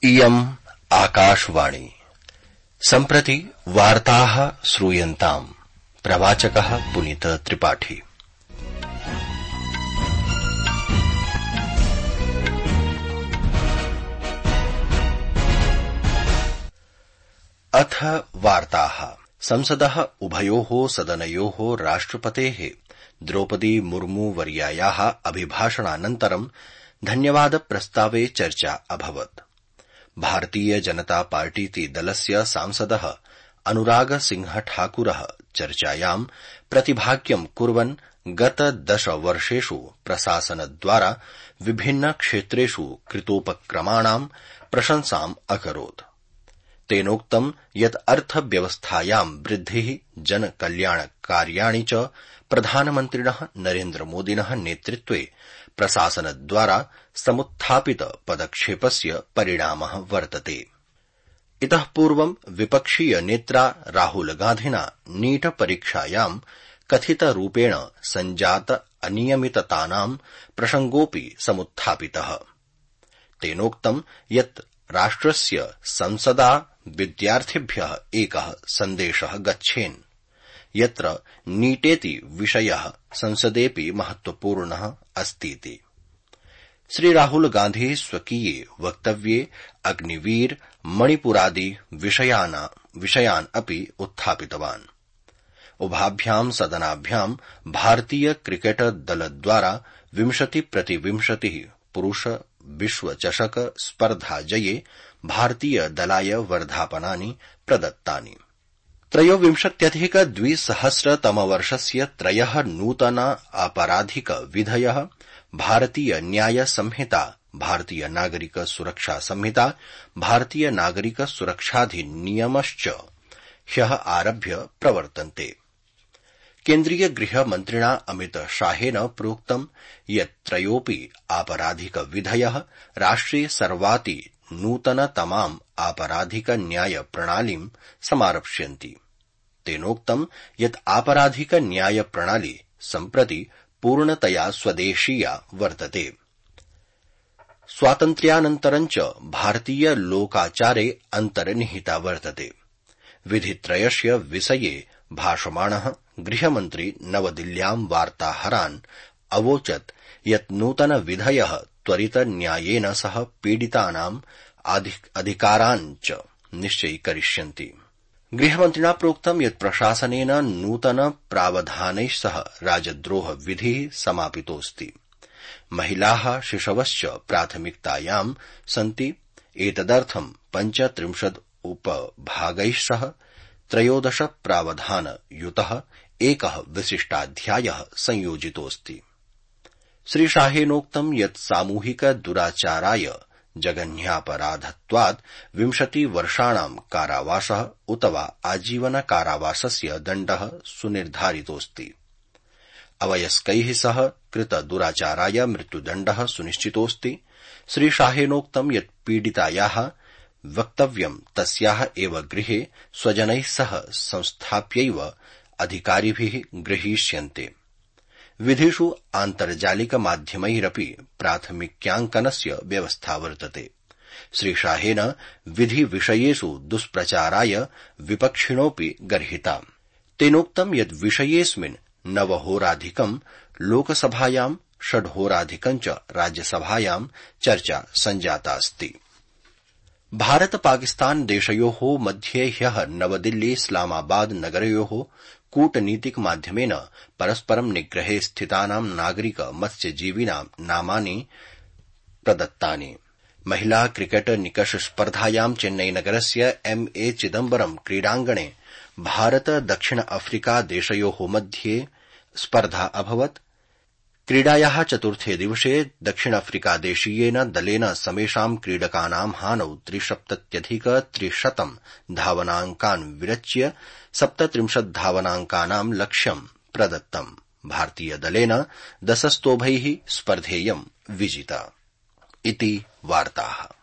इयम् आकाशवाणी। सम्प्रति वार्ताः श्रूयन्ताम्। प्रवाचकः पुनीत त्रिपाठी। अथ वार्ताः। संसदः उभयोः सदनयोः राष्ट्रपतेः द्रौपदी मुर्मू वर्यायाः अभिभाषणानन्तरं धन्यवाद प्रस्तावे चर्चा अभवत्। भारतीय जनता पार्टीति दलस्य सांसदः अनुराग सिंह ठाकुरः चर्चायां प्रतिभाग्यं कुर्वन् गत 10 वर्षेषु प्रशासनद्वारा विभिन्न क्षेत्रेषु कृतोपक्रमाणां प्रशंसाम् अकरोत्। तेनोक्तं यत् अर्थव्यवस्थायां वृद्धिः, जनकल्याणकार्याणि च प्रधानमन्त्रिणः नरेन्द्रमोदिनः नेतृत्वे प्रशासनद्वारा समुत्थापित पदक्षेपस्य परिणामः वर्तते। इतः पूर्वं विपक्षीय नेत्रा राहुलगान्धिना नीट परीक्षायां कथितरूपेण सञ्जात अनियमिततानां प्रसंगोऽपि समुत्थापितः। तेनोक्तं यत् राष्ट्रस्य संसदा विद्यार्थिभ्यः एकः सन्देशः गच्छेन् यत्र नीटेति विषयः संसदेऽपि महत्वपूर्णः अस्तीति। श्रीराहुलगान्धी स्वकीये वक्तव्ये अग्निवीर, मणिपुरादि विषयान् अपि उत्थापितवान्। उभाभ्यां सदनाभ्यां भारतीय क्रिकेट दलद्वारा 20-20 पुरुष विश्वचषक स्पर्धाजये भारतीय दलाय वर्धापनानि प्रदत्तानि। 23-2000 त्रयः नूतन आपराधिक विधयः, भारतीय न्याय संहिता, भारतीय नागरिक सुरक्षा संहिता, भारतीय नागरिक सुरक्षाधिनियमश्च ह्यः आरभ्य प्रवर्तन्ते। केन्द्रीय गृहमन्त्रिणा अमित शाहेन प्रोक्तं यत् त्रयोऽपि आपराधिक विधयः राष्ट्रे सर्वाति नूतनतमाम् आपराधिक न्याय प्रणालीं समारप्स्यन्ति। तेनोक्तं यत् आपराधिक न्याय प्रणाली सम्प्रति पूर्णतया स्वदेशीया वर्तते। स्वातन्त्र्यानन्तरं च भारतीय लोकाचारे अन्तर्निहिता वर्तते। विधित्रयस्य विषये भाषमाणः गृहमन्त्री नवदिल्ल्यां वार्ताहरान् अवोचत् यत् नूतन विधयः त्वरित न्यायेन सह पीडितानाम् अधिकारान् च निश्चयीकरिष्यन्ति। गृहमन्त्रिणा प्रोक्तं यत् प्रशासनेन नूतन प्रावधानैः सह राजद्रोह विधिः समापितोऽस्ति। महिलाः, शिशवश्च प्राथमिकतायां सन्ति। एतदर्थं 35 उपभागैः सह 13 प्रावधानयुतः एकः विशिष्टाध्यायः संयोजितोऽस्ति। श्रीशाहेनोक्तं यत् सामूहिक दुराचाराय जघन्यापराधत्वात् 20 वर्षाणां कारावासः उत वा आजीवन कारावासस्य दण्डः सुनिर्धारितोऽस्ति। अवयस्कैः सह कृत दुराचाराय मृत्युदण्डः सुनिश्चितोऽस्ति। श्रीशाहेनोक्तं यत् पीडितायाः वक्तव्यं तस्याः एव गृहे स्वजनैः सह संस्थाप्यैव अधिकारिभिः गृहीष्यन्ते। विधिषु आन्तर्जालिक माध्यमैरपि प्राथमिक्याङ्कनस्य व्यवस्था वर्तते। श्रीशाहेन विधिविषयेषु दुष्प्रचाराय विपक्षिणोऽपि गर्हिता। तेनोक्तं यत् विषयेऽस्मिन् 9 होराधिकं लोकसभायां, 6 होराधिकं च राज्यसभायां चर्चा सञ्जातास्ति। भारत पाकिस्तान देशयोः मध्ये ह्यः नवदिल्ली इस्लामाबाद नगरयोः कूटनीतिक माध्यमेन परस्परं निग्रहे स्थितानां नागरिक मत्स्यजीविनां नामानि प्रदत्तानि। महिला क्रिकेट निकष स्पर्धायां चेन्नईनगरस्य M.A. चिदम्बरम क्रीडाङ्गणे भारत दक्षिण अफ्रीका देशयोः मध्ये स्पर्धा अभवत्। क्रीडायाः चतुर्थे दिवसे दक्षिण अफ्रीकादेशीयेन दलेन समेषां क्रीडकानां हानौ 73,300 धावनाङ्कान् विरच्य 37 धावनाङ्कानां लक्ष्यं प्रदत्तम्। भारतीय दलेन 10 स्तोभैः स्पर्धेयं विजिता। इति वार्ताः।